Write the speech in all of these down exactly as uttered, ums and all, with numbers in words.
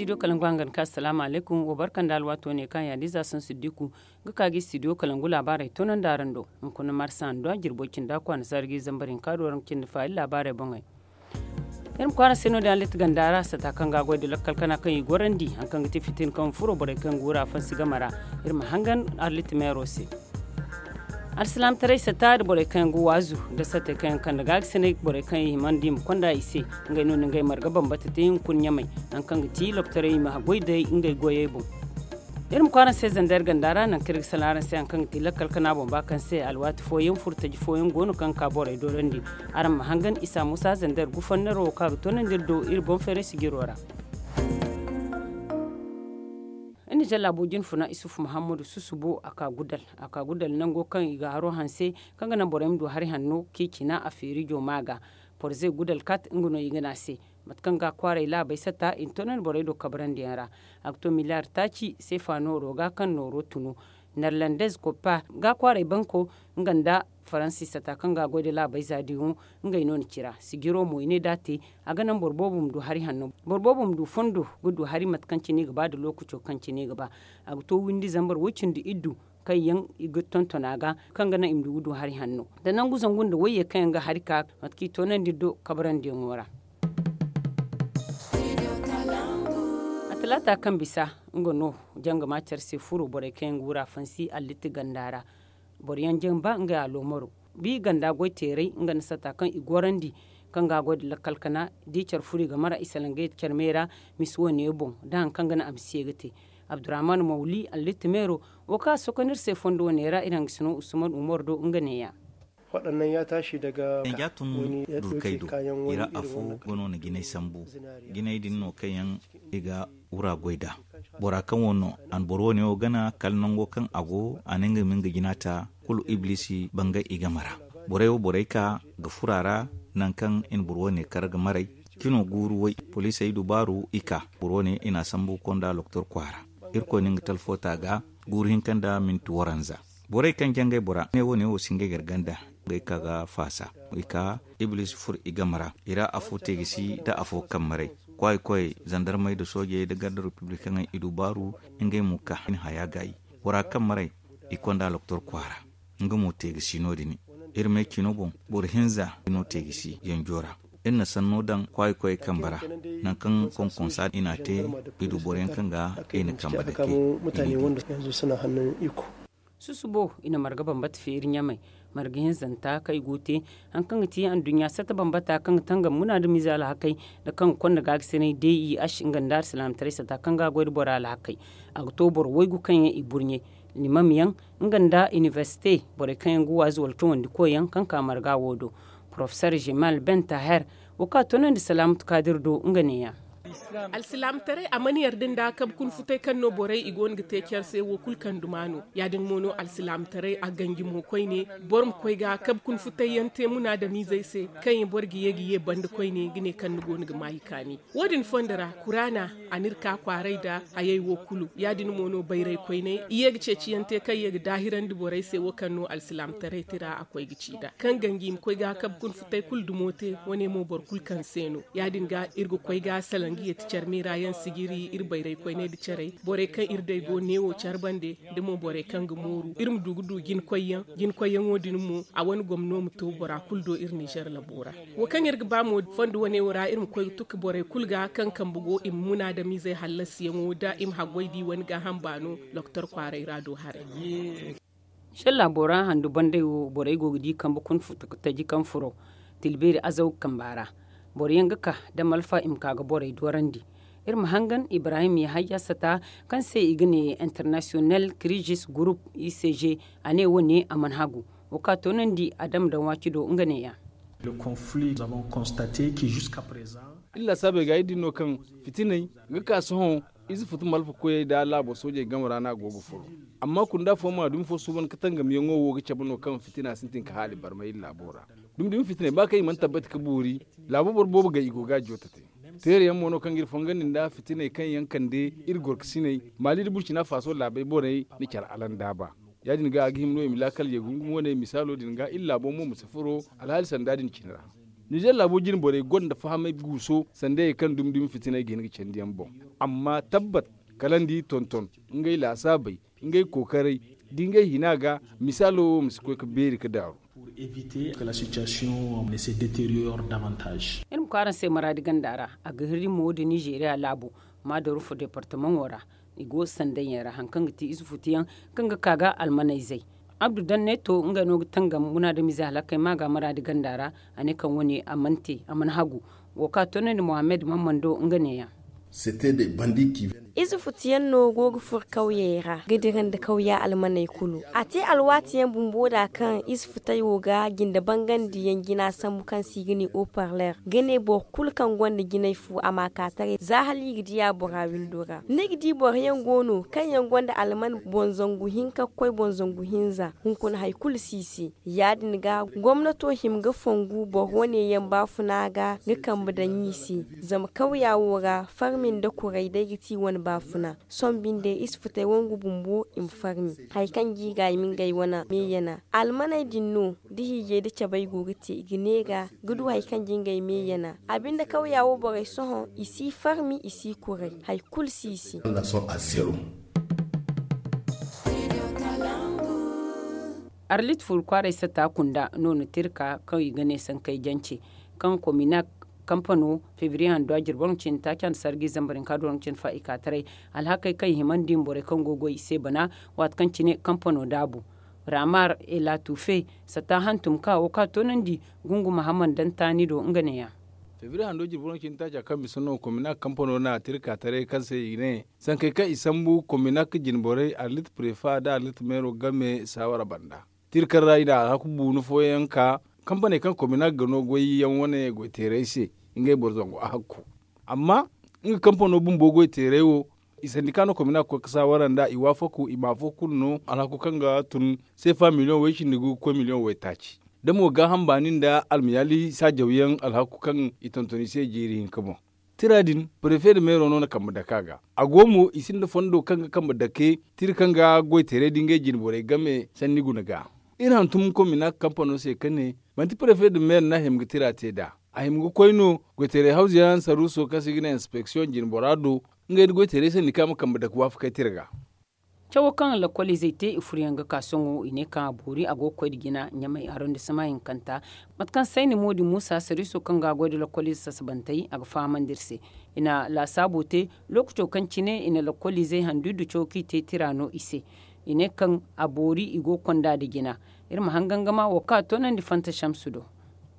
Studio kalangu hangan ka asalaamu alaykum, wa barka nda alwaato ne kaŋ yaadiza sansu diku ga ka ga studio kalangu laabaarey toonandi araŋ do. Hunkuna marsa handu a jirbo cinda kwaana zaari ga i zambar hinka do araŋ ga cindi faali laabaarey boŋey. Iri ma kwaara se no- din arlit ganda ra sata kaŋ ga a goy nda lakkal kana kaŋ i gorandi hari kaŋ ga ti fitin kaŋ furo borey kaŋ ga wura fansi game ra. Iri ma hangan arlit meero se. Alsilaamataray sata nda borey kaŋ yaŋ ga waazu nda satey kaŋ yaŋ kande ga a ga sinay borey kaŋ yaŋ himandi i ma konda i se. Ngey no na ngey marga bambata te hunkuna ɲamay hari kaŋ ga ti loktoray i ma goy day ngey goyey boŋ. Iri ma kwaara se zandar ganda ra nangu kaŋ iri ga sala araŋ se hari kaŋ ga ti lakkal kana boŋ ba kaŋ se alwaati fooyaŋ furtaji fooyaŋ go no kaŋ ga ka borey doorandi. Araŋ ma hangan isa musa zandar gufannaro wo kaŋ a ga toonandi iri do iri boŋ feeray sijiro ra. Iri na jalla booji ni funa isufu muhammadu susubo a ka gudal a ka gudal nango kaŋ i ga haro hanse kaŋ ga naŋ borey ma du hari hanno kaŋ i cina a feeri jooma ga. Porze gudal kat nga no i ga ne a se. Mate kaŋ ga a kwaaray laabey sata i na toonandi borey do kabrandi yaŋ ra. A ga to miliyar taaci seefa nooro ga kaŋ nooro tunu. Nerlandez koppa ga a kwaaray banko nga nda faransi sata kaŋ ga a goy nda laabey za diŋo. Ngey no na cira sijiro mo i ne da a te a ga naŋ boro boobo ma du hari hanno boro boobo ma du fondo ga du hari mate kaŋ cine i ga ba nda lookaco kaŋ cine i ga ba. A ga to windi zambar woy cindi iddu kaŋ yaŋ i ga tonton a ga kaŋ ga naŋ i ma du ga du hari hanno da nangu zangu nda wayye kaŋ yaŋ ga hari ka mate kaŋ i toonandi do kabrandi yaŋo ra. A talaata kaŋ bisa nga no jangama care se furo borey kaŋ yaŋ ga wura fansi allitti ganda ra. Boro yaŋ jamba ngey aloomaro bi ganda goy teeray nga nda sata kaŋ i gorandi kaŋ ga a goy nda lakkal kana da i care furo i ga mara i salaŋ ga yeti care me ra. Misi wane boŋ da hari kaŋ ga naŋ a ma si ye ga te. Abdurrahman mawli allitti meero wo kaŋ a sokonda iri se fondo wane ra iri hangasino usman umar do nga neeya. Waɗannan ya tashi daga. Yanja tun durkey do i ra afo ga no na jinay sambu. Jinay din no kaŋ yaŋ i ga wura goy nd'a. Bora kaŋ wo no a na boro wane wo gana kala nango kaŋ a go a na nga ma nga jina ta kulu iblisi bangay i game ra. Borey wo borey ka ga furo a ra nangu kaŋ i na boro wane kar ga maray. Cino guuru way poliisey dubaaru i ka boro wane i na a sambu konda loktor kwaara. Irkoy na nga talfo ta ga guuru hinka nda minti waranza. Borey kaŋ jangay bora ne wo ne wo si ngey garganda ngey ka ga faasa i ka iblisi furo i game ra i ra afo teegisi nda afo kammaray. Kwaay koy zandarmey nda soojey nda garda republikaŋey i dubaaru ngey mo ka hin haya gaayi. Bora kammaray i konda loktor kwaara nga mo teegisi no- din. Iri me cino boŋ boro hinza no teegisi yanjo ra. Iri na sanno daŋ kwaay koy kamba ra nangu kaŋ konkonsa i na a te i du boro yaŋ kaŋ ga i na kamba dake. Susubo i na marga bambata feeri ɲamey marga hinzanta kaŋ i go ga te hari kaŋ ga ti anduɲɲa sata bambata kaŋ ga tangam munaadamiize alhakey nda kaŋ ga konda gaagasinay d i h nga nda alsilaamataray sata kaŋ ga a goy nda bora alhakey. A ga to boro waygu kaŋ yaŋ i burɲe limam yaŋ nga nda inibersite borey kaŋ yaŋ ga waazu wala tawandi koy yaŋ kaŋ ka marga wo do. Porofesor jemal ben taher wo kaŋ a toonandi salaamatu kaadir do nga neeya. Alsilaamataray a mana yarda nda kabe kuna futay kaŋ no borey i go no ga te care se wo kulu kaŋ duma no. Ya- din mo no alsilaamataray a ganji mo koyne boro ma koy ga kabe kuna futay yaŋ te munaadamiizey se kaŋ yaŋ boro ga ye ga ye banda koyne ga ne kaŋ ni go no ga maayi kaani. Wo- din fondo ra kuraana a n'iri ka kwaaray nda hayey wo kulu ya- din mo no bayray koyney i ye ga ceeciyaŋ te kaŋ ye ga daahirandi borey se wo kaŋ no alsilaamataray tira a koy ga ci nd'a kaŋ ganji i ma koy ga kabe kuna futay kulu dumo te wane mo boro kulu kaŋ se no. Ya- din ga iri ga koy ga salaŋ ga yeeti care meera yaŋ sijiri iri bayray koyney nda carey borey kaŋ iri day go neewo care bande nda mo borey kaŋ ga mooru iri ma du ga du jinkoyyaŋ. Jinkoyyaŋo din mo a wane gomno ma to bora kulu do iri nizer labo ra. Wo kaŋ iri ga ba mo fondo wane wo ra iri ma koy ga tukka borey kulu ga kaŋ kambe go i ma munaadamiizey hallasiyaŋo da i ma haggoy da i wane gaaham baano. Doktor kwaaray ra do haray. Sella bora handu banday wo borey go ga di kambe kuna futu ga taji kaŋ furo tilbeeri azaw kamba ra. Boro yaŋ ga ka da malfa i ma ka ga borey doorandi. Iri ma hangan ibrahim yahaya sata kaŋ se i ga ne international crisis group i c g. A ne wo- ne a mana hagu wo ka toonandi a dama daŋ waaci do nga neeya. Iri laasaabey ga iri di no kaŋ fitiney ga ka sohõ. Ize futu malfa koyey nda laabo soojey game ra no a go ga furo. Amma kunda fo ma dumi fo suuban ka tangamiyaŋo wo ga cabe no kaŋ fitina sintin ka haali barmay iri laabo ra. Dumi dumi fitiney ba kaŋ i mana tabbati ka boori. Laabo boro boobo gay i go ga a joote te. Teerayaŋ mo no kaŋ ga iri fongandi nda fitiney kaŋ yaŋ kande iri gorkasiney maali nda burcina faaso laabey borey na care alandaaba. Ya- din ga a ga hima no i ma laakal ye gungum wane misaalo din ga iri laabo mo ma si furo alhaali sanda din cine ra. Nizer laabo jine borey gonda fahamay guuso sanda ye kaŋ dumi dumi fitiney ga hin ga candiyaŋ boŋ. Amma tabbat, kala nda i tonton ngey laasaabey, ngey kookaray, da ngey hina ga, misaalo wo ma si koy ga beeri ga daaru. Iri ma koy araŋ se maraadi ganda ra. A ga hirri mo da nizeeriya laabo ma da rufa departamaŋo ra. I go sandayaŋ ra hari kaŋ ga ti ize futuyaŋ kaŋ ga ka ga almanayzey. Abdu danne to ngey no ga tangam munaadamize hala kay ma ga maraadi ganda ra. A ne kaŋ wane a mana te, a mana hagu. Wo kaŋ a toonandi mohammed mammando nga neeyaŋ. Ize futuyaŋ no go ga furo kawyey ra ga dira nda kawya almaney kulu. A te alwaati yaŋ bumbo da kaŋ ize futey wo ga jinde bangandiyaŋ jina sambu kaŋ se i ga ne oparler ga ne boro kulu kaŋ gonda jinay fu a ma ka taray za hala i ga diya bora windo ra. Ni ga di boro yaŋ go no kaŋ yaŋ gonda alman boŋ zangu hinka ga koy boŋ zangu hinza hunkuna hari kulu si i se. Ya- din ga gomnato hima ga fongu boro wane yaŋ baafuna ga ga kambe daŋ i se. Zama kawya wo ra farmi nda kuray day ga ti i wane baafuna. Sohõ binde i si futay wangu bumbo i ma farmi. Hari kaŋ ga i ga i ma ngey wane meeyana almaney din no da hiijay da cabay go ga te i ga neera ga du hari kaŋ ga ngey meeyana. A binde kawya wo borey sohõ i si farmi i si kuray hari kulu si i se. Arlit furu kwaaray satta kunda no na tirka kaŋ i ga ne sankey jance kaŋ kominak kampano febriye hando a jirbi warangu cindi taaci hando sargi zambar hinka do warangu cindi fa i ka taray. Alhakey kaŋ i himandi ma borey kaŋ go ga goy i se bana waati kaŋ cine kampano daabu. Ramar elatufe satta hantum ka wo ka toonandi gungu mahamman daŋ taani do nga neeya. Febriye hando jirbi warangu cindi taaca kaŋ bisa no kominak kampano na tirka taray kaŋ se i ne sankey kaŋ i sambu kominak jine borey arlit prefa nda arlit meero game saawara banda. Tirka ra i na alhaku buunu fooyaŋ ka kampaney kaŋ kominak ga no goyyaŋ wane goyteerey se ngey boro zangu a hakku. Amma nga kampano bumbo goyteerey wo i sandika no kominak ga koy ga saawara nd'a i waafaku i ma afo kulu no alhaku kaŋ ga tun seefa miliyoŋ way cindi gu ga koy miliyoŋ waytaaci da mo gaaham baani nda almayaali saajawyaŋ alhaku kaŋ i tonton i se jiiri hinka boŋ. Tira din prefe nda meero no na kambe dake a ga. A go mo i sinda fondo kaŋ ga kambe dake tira kaŋ ga goyteeray da ngey jine borey game sanni guna ga. Iri hantum kominak kampano se ka ne manti prefe nda meero no a hima ga tira te nd'a. A hima ga koy no goyteeray hawzuyaŋ saruuso kaŋ se i ga ne inspeksiyoŋ jine bora do ngey nda goyteeray sandika ma kambe dake waafakey tira ga. Cawo kaŋ lakkoliizey te i furo yaŋ ga ka sohõ i ne kaŋ a boori a go ga koy nda jina ɲamay arondisema hinkanta. Mate kaŋ sayni mo din muusa sariiso kaŋ ga a goy nda lakkoliize sasabantey a ga fahamandi iri se. I na laasaabo te lookaco kaŋ cine i na lakkoliizey handu iddu cawo kaŋ i te tira no i se. I ne kaŋ a boori i go ga konda nda jina. Iri ma hangangama wo kaŋ a toonandi fanta samsu do.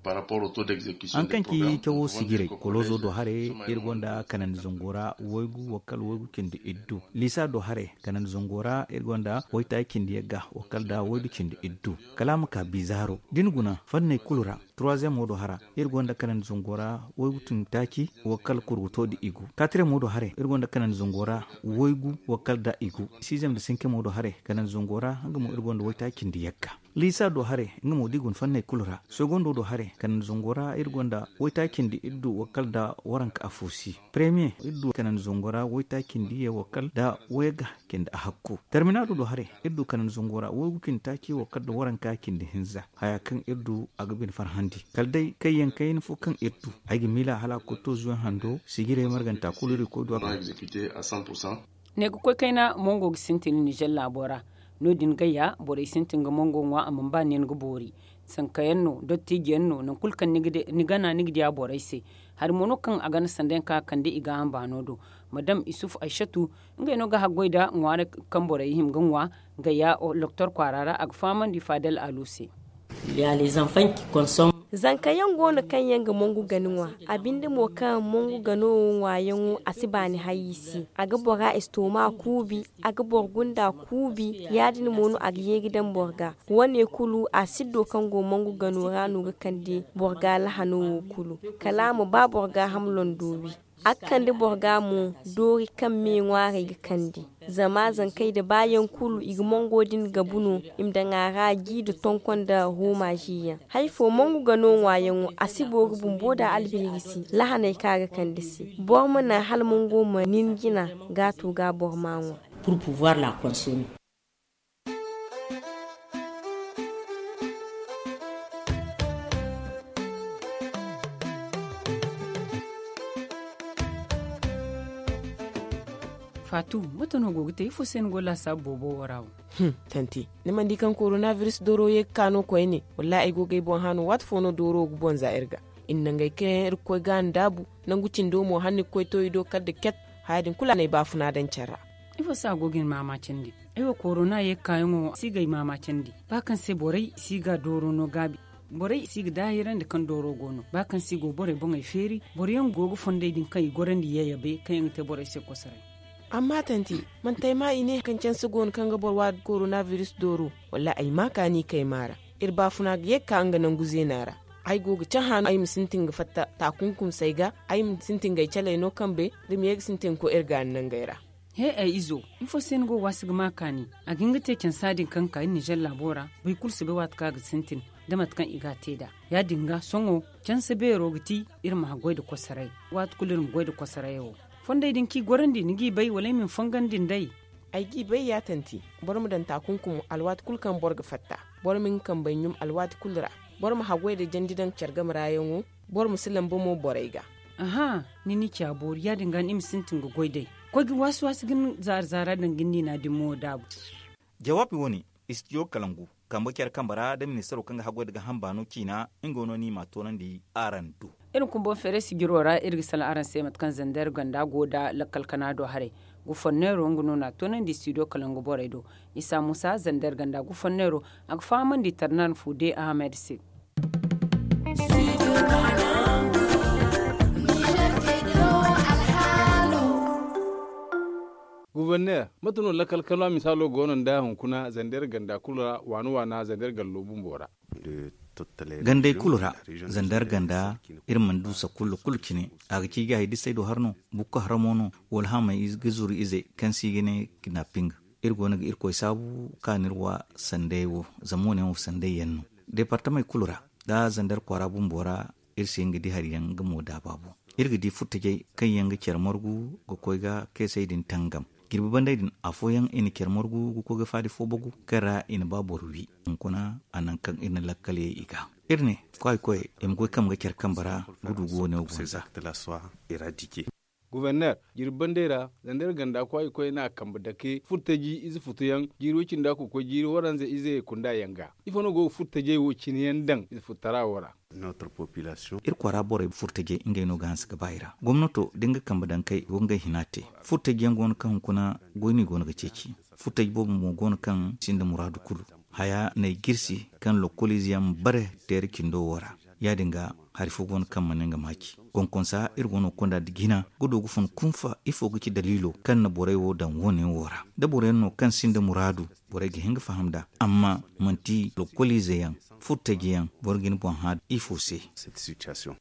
Haŋ kaŋ ci cawo sijirey koloozo do haray iri gonda kanandi zango ra waygu wakkal waygu cindi iddu liisa do haray kanandi zango ra iri gonda waytaaci cindi yagga wakkal da waydu cindi iddu. Kala a ma ka bizaaro da ni guna fanney kulu ra. Turuwaziyemo do hara iri gonda kanandi zango ra waygu cindi taaci wakkal kurguto da igu. Katiriyemo do haray iri gonda kanandi zango ra waygu wakkal da igu. Siziyem da sinkemo do haray kanandi zango ra nga mo iri gonda waytaaci cindi yagga. Liisa do haray nga mo da i guna fanney kulu ra. Sogondo do haray kanandi zango ra iri gonda waytaaci cindi iddu wakkal da waranka afo si. Premiye iri du kanandi zango ra waytaaci cindi ye wakkal da wayagga cindi ahakku. Tarminaado do haray iri du kanandi zango ra waygu cindi taaci wakkal da waranka cindi hinza. Haya kaŋ iri du a ga bine farhandi kala day kayyaŋ kayna fo kaŋ iri du. Ay ga miila hala a ga koy to zuwe hando sijirey marganta kulu iri ga koy du a ga. Ne ga koy kayna mongo ga sintin nizer laabo ra. No- din gayya borey sintin ga mongo ŋwa a mana ba nin ga boori. Sankayaŋ no dottijiyaŋ no nangu kulu kaŋ ni gana ni ga diya borey se. Hari mo no kaŋ a gana sanda yaŋ kaŋ a kande i gaaham baano do. Madam isuf aysatu ngey no ga haggoy nda ŋwaaray kaŋ borey hima ga ŋwa. Gayya loktor kwaara ra a ga fahamandi faadal alu se. Zanka yaŋ go no kaŋ yaŋ ga mongu gana ŋwa. A binde mo kaŋ mongu gano wo ŋwaayaŋo a si baani hay i se. A ga bora estooma kuubi. A ga boro gunda kuubi. Ya- din mo no a ga ye ga daŋ boro ga. Wo- ne kulu a siddo kaŋ go mongu gano ra no ga kande boro ga lahano wo kulu. Kala a ma ba boro gaaham londo wi. A ga kande boro ga mo doori kaŋ me ŋwaarey ga kande. Zama zankey da baayaŋ kulu i ga mongo din gabu no. I ma daŋ a ra ji nda tonko nda hooma ziyaŋ. Hari fo mongu gano ŋwaayaŋo a si boori bumbo nda albeeri se. Lahaney kaŋ a ga kande se boro ma naŋ hala mongo ma nin jina gaato ga boro ma ŋwa. Pour pouvoir la consommer. Faatu, mate no go ga te ifo se ni go laasaabu boobo wo ra wo? Tanti, ni mana di kaŋ korona biris dooro ye ga ka no koyne? Wallaahi ay go ga ay boŋ hã no waati fo no dooro ga boŋ za iri ga. I na nangey kaŋ yaŋ iri ga koy ga a ndaabu, nangu cindo mo hala ni ga koy to i do kala nda ket. Haya din kulu a na ay baafuna daŋ care ra. Ifo se a go ga ni maamaacandi? Ay wo korona ye ga kaayaŋo si ga ay maamaacandi ba kaŋ se borey si ga dooro no gaabi. Borey si ga daahirandi kaŋ dooro go no ba kaŋ se i go borey boŋey feeri. Boro yaŋ go ga fondey din kaŋ i gorandi yayabey kaŋ yaŋ ga te borey se kosoray. Amma tanti, manti ay maa i ne kaŋ canse go no kaŋ ga boro waadi korona biris dooro? Wallaahi ay maa kaani kay maa ra. Iri baafuna ga ye ga ka nga nangu zeena ra. Ay go ga cahã no ay ma sintin ga fatta taakunkumsey ga. Ay ma sintin ga ay caley no kambe da ma ye ga sintin ga koy iri gaani nangey ra. He ay izo, ifo se ni go ga waasi ga maa kaani? A ga hin ga te cansa din kaŋ ga ka iri ninzeer laabo ra. Boro kulu si bay waati kaŋ a ga sintin da mate kaŋ i ga a te nd'a. Ya- din ga sohõ canse beero ga ti iri ma haggoy nda kosoray. Waati kulu iri ma goy nda kosoray wo. Fondey din kaŋ i gorandi ni g'i bay wala ay ma ni fongandi nd'ey? Ay g'i bay ya tanti. Boro ma daŋ taakunkum alwaati kulu kaŋ boro ga fatta. Boro ma nga kambey ɲum alwaati kulu ra. Boro ma haggoy nda jandi daŋ care game ra yaŋo. Boro ma si lamba mo borey ga. Aha, ni ni ci a boori ya- din ga no i ma sintin ga goy day. Koy ga waasi waasi ga ni zaara zaara daŋ ga ni niina din mo daabu. Jawaabi wo- ne, istidiyo kalangu kambe care kambe ra nda ministaro kaŋ ga haggoy nda ga hamba no ciina. Nga no ni m'a toonandi araŋ do. Iri ma kumbo feeray sijiro ra iri ga salaŋ araŋ se mate kaŋ zander ganda go nda lakkal kana do haray. Gufanneero nga no n'a toonandi istidiyo kalangu borey do. Isa muusa zander ganda gufanneero, a ga fahamandi tarnan fuude ahamed se. Guverner, mate no lakkal kano a misaalo go no nda hunkuna zander ganda kulu ra waana waana zander gallo bumbo ra? Gandey kulu ra, zander ganda, iri mana du sakullu kulu cine. A ga ci ga hay disey do har no? Bukka haramo no? Wala hamey ga zuru ize kaŋ se i ga ne kidnaping? Iri go no ga irkoy saabu ka no iri wa sanday wo, zama wo- ne wo sanday yaŋ no deepartamey kulu ra, da zander kwaara bumbo ra. Iri si hin ga di hari yaŋ nga mo daaba boŋ. Iri ga di furtajey kaŋ yaŋ ga care margu ga koy ga keesey din tangam. Jirbi bandey din afooyaŋ i na care margu ga koy ga faadi fo bagu kaŋ ra i na ba boro wi. Hunkuna a nangu kaŋ iri na lakkaley i ga, iri ne kwaay koyey i ma goy kambe ga care kambe ra ga du ga wo- ne wo gonza. Guverner, jirbi bandey ra zander ganda kwaay koyey n'a kambe dake furtaji ize futuyaŋ jiiri way cindi a kokoy jiiri waranza ize kunda yaŋ ga. Ifo no go ga furtajey wo cine yaŋ daŋ ize fututara wo ra? Iri kwaara borey furtajey ngey no ga hanse ga ba i ra. Gomnato da nga kambe daŋ kay go ngey hina te. Furtaji yaŋ go no kaŋ hunkuna goy no i go no ga ceeci. Furtaji boobo mo go no kaŋ sinda muraadu kulu. Haya n'ay jirsi kaŋ lokkoliize yaŋ ma bare teere cindo wo ra. Ya- din ga hari fo go no kaŋ mana nga maaci. Konkonsa iri go no ga konda nda jina ga du ga fun kunfa ifo ga ci daliilo kaŋ na borey wo daŋ wo- ne wo ra? Da boro yaŋ no kaŋ sinda muraadu, borey ga hin ga faham nd'a. Amma manti lokkoliize yaŋ, furtaji yaŋ, boro ga ni boŋ hã ifo se?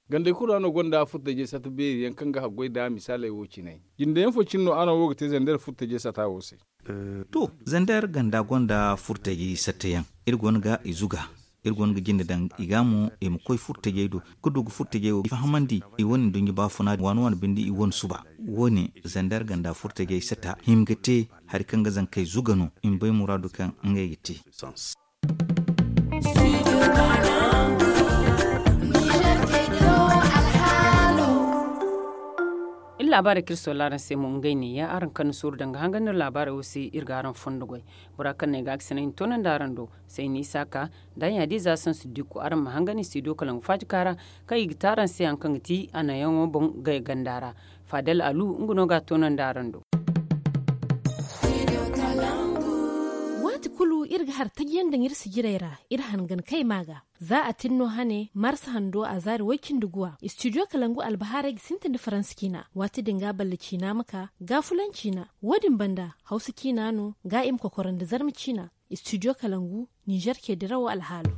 Gandey kulu ra no gonda furtajey sata beeri yaŋ kaŋ ga haggoy nda misaaley wo cine. Jinde yaŋ fo cine no araŋ wo ga te zander furtajey sata wo se? To, zander ganda gonda furtajey sata yaŋ. Iri go no ga i zuga. Iri go no ga jinde daŋ i ga mo i ma koy furtajey do ga du ga furtajey wo fahamandi i wane nduɲɲa baafuna waani waani binde i wane suba. Wo- ne zander ganda furtajey sata hima ga te hari kaŋ ga zankey zuga no i ma bay muraadu kaŋ ngey ga te. Iri laabaarey kaŋ iri soola araŋ se mo ngey neeya araŋ kaŋ na suuru danga hangan no laabaarey wo se iri ga araŋ fondo goy. Bora kaŋ no ay ga a ga sinay ni toonandi araŋ do. Sayni isaaka da ɲaadiiza sansu dikku araŋ ma hangan i si do kala nga faaji kaara kaŋ i ga te araŋ se hari kaŋ ga ti a naŋyaŋo boŋ gay ganda ra. Faadal alu nga no ga a toonandi araŋ do. Waati kulu iri ga hari taji yaŋ daŋ iri sijirey ra iri hangan kay ma ga. Za a tin no hane marsa hando a zaari way-cindi guwa istidiyo kalangu albahaarey ga sintin da faransa ciina waati din ga balla ciina ma ka gaafulaŋ ciina. Wo- din banda hawsa ciina no ga i ma kokoro nda zarma ciina. Istidiyo kalangu ninzeer ce dirawo alhaalo.